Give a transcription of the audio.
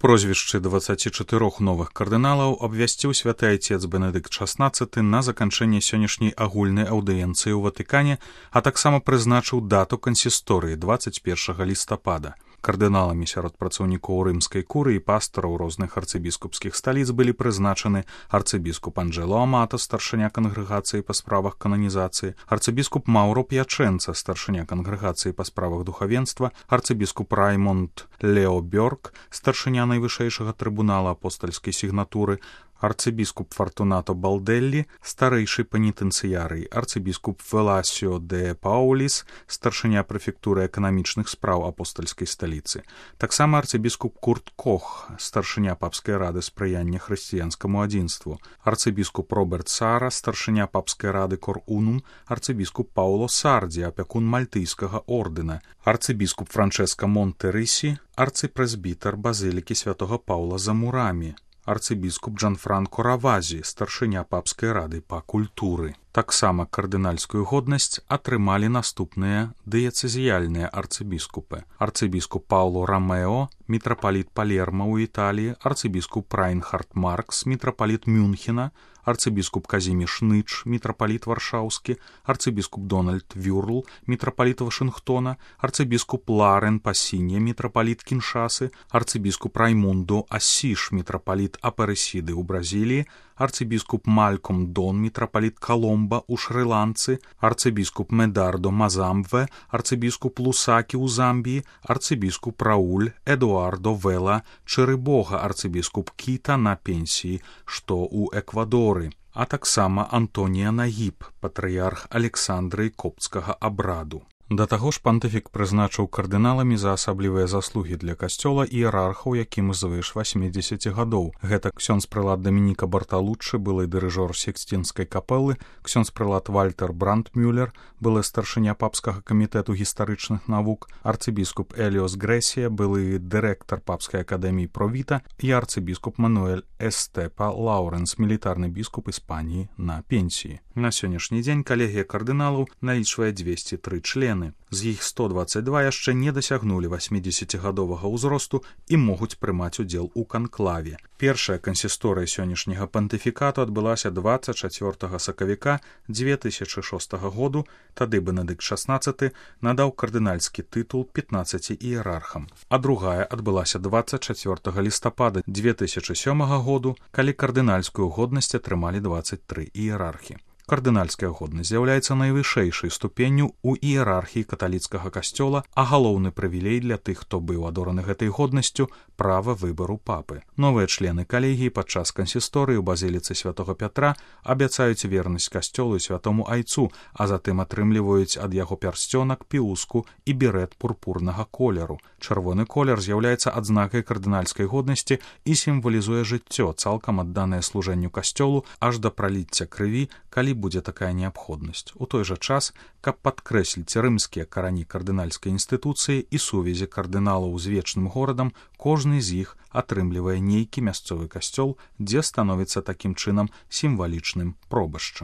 Прозвішчы 24 новых кардыналаў абвясціў святы айцец Бенедыкт XVI на заканчэнне сённяшняй агульнай аўдыенцыі ў Ватыкане, а таксама прызначыў дату кансісторыі 21 лістапада. Кардыналамі сярод працаўнікоў рымскай курыі і пастараў розных арцыбіскупскіх сталіц былі прызначаны арцыбіскуп Анджэло Амата, старшыня кангрэгацыі па справах кананізацыі, арцыбіскуп Маўро П'ячэнца, старшыня кангрэгацыі па справах духавенства, арцыбіскуп Раймонд Лео Бёрк, старшыня найвышэйшага трыбунала апостальскай сігнатуры, арцыбіскуп Фартунато Балдэллі, старэйшы пенітэнцыярый, арцыбіскуп Веласіо де Пауліс, старшыня прэфектуры эканамічных спраў апостальскай сталіцы. Таксама арцыбіскуп Курт Кох, старшыня папскай рады спрыяння хрысціянскаму адзінству, арцыбіскуп Роберт Сара, старшыня папскай рады Кор Унум, арцыбіскуп Пауло Сардзі, апякун мальтыйскага ордэна, арцыбіскуп Франчэска Монтерысі, арцыпрэзбітар базылікі святога Паўла за Мурамі, арцыбіскуп Джанфранко Равазі, старшыня папскай рады па культуры. Таксама кардынальскую годнасць атрымалі наступныя дыяцэзіяльныя арцыбіскупы. Арцыбіскуп Пауло Рамео, мітрапаліт Палерма ў Італіі, арцыбіскуп Райнхард Маркс, мітрапаліт Мюнхена, арцыбіскуп Казіміш Ныч, мітрапаліт Варшаўскі, арцыбіскуп Дональд Вюрл, мітрапаліт Вашынгтона, арцыбіскуп Ларен Пасінья, мітрапаліт Кіншасы, арцыбіскуп Раймундо Асіш, мітрапаліт Апарэсіды ў Бразіліі, арцыбіскуп Мальком Дон, мітрапаліт Коломба ў Шры-Ланцы, арцыбіскуп Медардо Мазамве, арцыбіскуп Лусакі ў Замбіі, арцыбіскуп Рауль Эдуардо Вела Чырыбога, арцыбіскуп Кіта на пенсіі, што ў Эквадоры, а таксама Антонія Нагіб, патрыярх Александры копцкага абраду. Да таго ж пантыфік прызначыў кардыналамі за асаблівыя заслугі для касцёла іерархаў, якім звыш 80 гадоў. Гэта ксёндз-прылад Дамініка Барталуччы, былы дырыжор Сікстінскай капэлы, ксёндз-прылад Вальтер Брандмюллер, былы старшыня папскага камітэту гістарычных навук, арцыбіскуп Эліос Грэсія, былы дырэктар папскай акадэміі Провіта і арцыбіскуп Мануэль Эстепа Лауренс, мілітарны біскуп Іспаніі на пенсіі. На сённяшні дзень калегія кардыналаў налічвае 203 члены. З іх 122 яшчэ не дасягнулі 80гадовага ўзросту і могуць прымаць удзел у канклаве. Першая кансісторыя сённяшняга пантыфікату адбылася 24 сакавіка 2006 году, тады Бенедыкт XVI надаў кардынальскі тытул 15 іерархам, а другая адбылася 24 лістапада 2007 году, калі кардынальскую годнасць атрымалі 23 іерархі. Кардынальская годнасць з'яўляецца найвышэйшай ступенню ў іерархіі каталіцкага касцёла, а галоўны прывілей для тых, хто быў адораны гэтай годнасцю, права выбару папы. Новыя члены калегіі падчас кансісторыі ў базіліцы святога Пятра абяцаюць вернасць касцёлу і святому айцу, а затым атрымліваюць ад яго пярсцёнак, піуску і берэт пурпурнага колеру. Чырвоны колер з'яўляецца адзнакай кардынальскай годнасці і сімвалізуе жыццё, цалкам адданае служэнню касцёлу аж да праліцця крыві, калі будзе такая неабходнасць. У той жа час, каб падкрэсліць рымскія карані кардынальскай інстытуцыі і сувязі кардыналаў з вечным горадам, кожны з іх атрымлівае нейкі мясцовы касцёл, дзе становіцца такім чынам сімвалічным пробашчам.